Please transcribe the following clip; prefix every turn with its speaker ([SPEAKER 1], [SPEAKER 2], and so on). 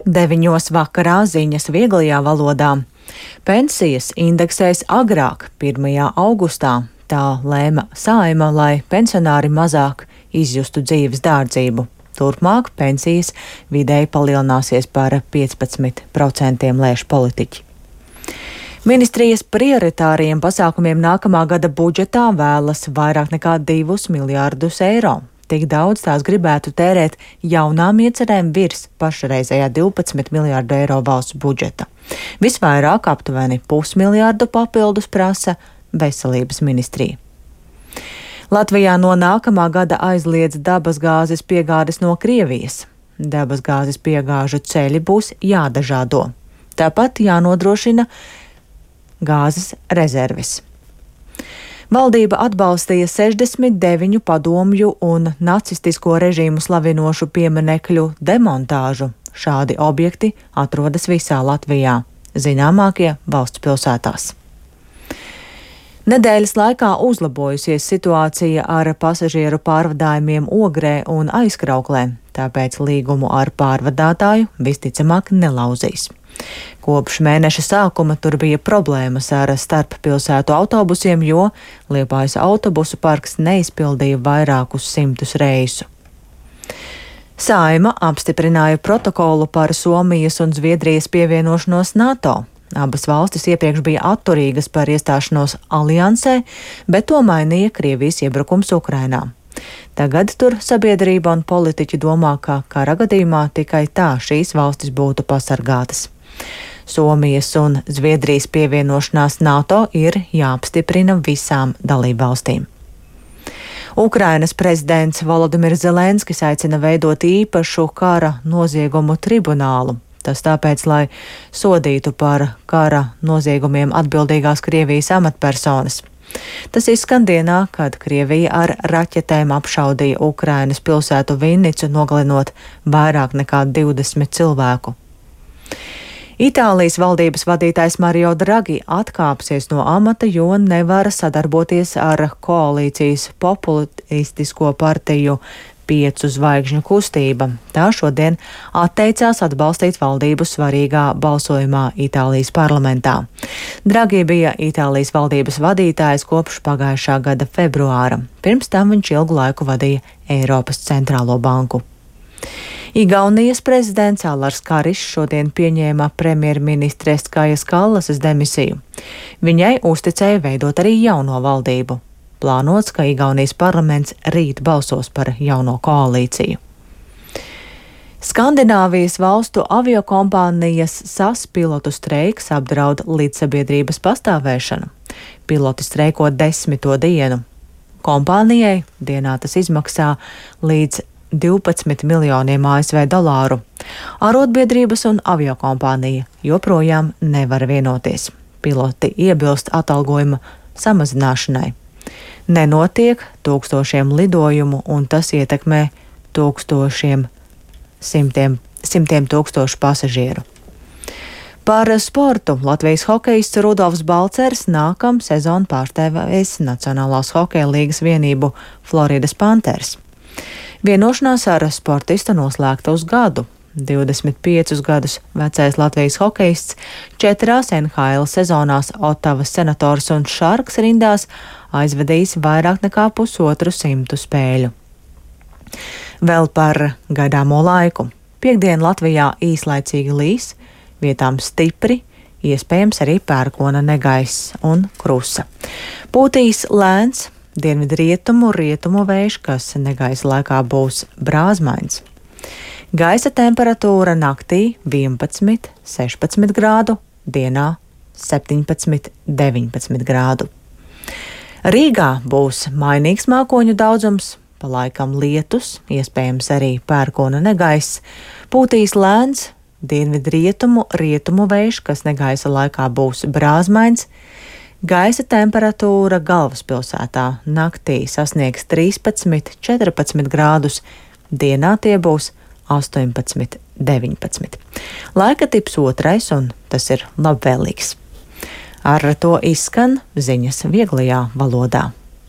[SPEAKER 1] 9 vakarā ziņas vieglajā valodā. Pensijas indeksēs agrāk, 1. augustā. Tā lēma Saeima, lai pensionāri mazāk izjustu dzīves dārdzību. Turpmāk pensijas vidēji palielināsies par 15%, lēš politiķi. Ministrijas prioritāriem pasākumiem nākamā gada budžetā vēlas vairāk nekā 2 miljārdus eiro. Tik daudz tās gribētu tērēt jaunām iecerēm virs pašreizējā 12 miljārdu eiro valsts budžeta. Visvairāk aptuveni 0,5 miljārdu papildus prasa veselības ministrija. Latvijā no nākamā gada aizliedz dabasgāzes piegādes no Krievijas. Dabasgāzes piegāžu ceļi būs jādažādo. Tāpat jānodrošina gāzes rezerves. Valdība atbalstīja 69 padomju un nacistisko režīmu slavinošu pieminekļu demontāžu. Šādi objekti atrodas visā Latvijā, zināmākie valsts pilsētās. Nedēļas laikā uzlabojusies situācija ar pasažieru pārvadājumiem Ogrē un Aizkrauklē, tāpēc līgumu ar pārvadātāju visticamāk nelauzīs. Kopš mēneša sākuma tur bija problēmas ar starppilsētu autobusiem, jo Liepājas autobusu parks neizpildīja vairākus simtus reisu. Saeima apstiprināja protokolu par Somijas un Zviedrijas pievienošanos NATO. Abas valstis iepriekš bija atturīgas par iestāšanos aliansē, bet to mainīja Krievijas iebrukums Ukrainā. Tagad tur sabiedrība un politiķi domā, ka kara gadījumā tikai tā šīs valstis būtu pasargātas. Somijas un Zviedrijas pievienošanās NATO ir jāapstiprina visām dalībvalstīm. Ukrainas prezidents Volodimirs Zelenskis aicina veidot īpašu kara noziegumu tribunālu. Tas tāpēc, lai sodītu par kara noziegumiem atbildīgās Krievijas amatpersonas. Tas izskan dienā, kad Krievija ar raķetēm apšaudīja Ukrainas pilsētu Vinnicu, nogalinot vairāk nekā 20 cilvēku. Itālijas valdības vadītājs Mario Draghi atkāpsies no amata, jo nevar sadarboties ar koalīcijas populistisko partiju 5 zvaigžņu kustība. Tā šodien atteicās atbalstīt valdību svarīgā balsojumā Itālijas parlamentā. Draghi bija Itālijas valdības vadītājs kopš pagājušā gada februāra. Pirms tam viņš ilgu laiku vadīja Eiropas centrālo banku. Igaunijas prezidents Alars Karišs šodien pieņēma premjerministres Kajas Kallasas demisiju. Viņai uzticēja veidot arī jauno valdību. Plānots, ka Igaunijas parlaments rīt balsos par jauno koalīciju. Skandināvijas valstu aviokompānijas SAS pilotu streiks apdraud līdzsabiedrības pastāvēšanu. Piloti streiko 10. dienu. Kompānijai dienā tas izmaksā līdz 12 miljoniem ASV dolāru. Arotbiedrības un aviokompānija joprojām nevar vienoties. Piloti iebilst atalgojuma samazināšanai. Nenotiek tūkstošiem lidojumu, un tas ietekmē simtiem tūkstošu pasažieru. Par sportu Latvijas hokejists Rudolfs Balcers nākam sezonu pārstāvēs Nacionālās hokeja līgas vienību Floridas Panthers. Vienošanās ar sportistu noslēgta uz gadu. 25 gadus vecais Latvijas hokejists 4 NHL sezonās Ottavas Senators un Sharks rindās aizvedījis vairāk nekā 150 spēļu. Vēl par gaidāmo laiku. Piektdien Latvijā īslaicīgi līs, vietām stipri, iespējams arī pērkona negaiss un krusa. Pūtīs lēns dienvidrietumu vējš, kas negaisa laikā būs brāzmains. Gaisa temperatūra naktī 11, 16 grādu, dienā 17, 19 grādu. Rīgā būs mainīgs mākoņu daudzums, pa laikam lietus, iespējams arī pērkona negaiss, pūtīs lēns dienvidrietumu vējš, kas negaisa laikā būs brāzmains. Gaisa temperatūra galvaspilsētā naktī sasniegs 13, 14 grādus, dienā tie būs 18, 19. Laika tips 2, un tas ir labvēlīgs. Ar to izskan ziņas vieglajā valodā.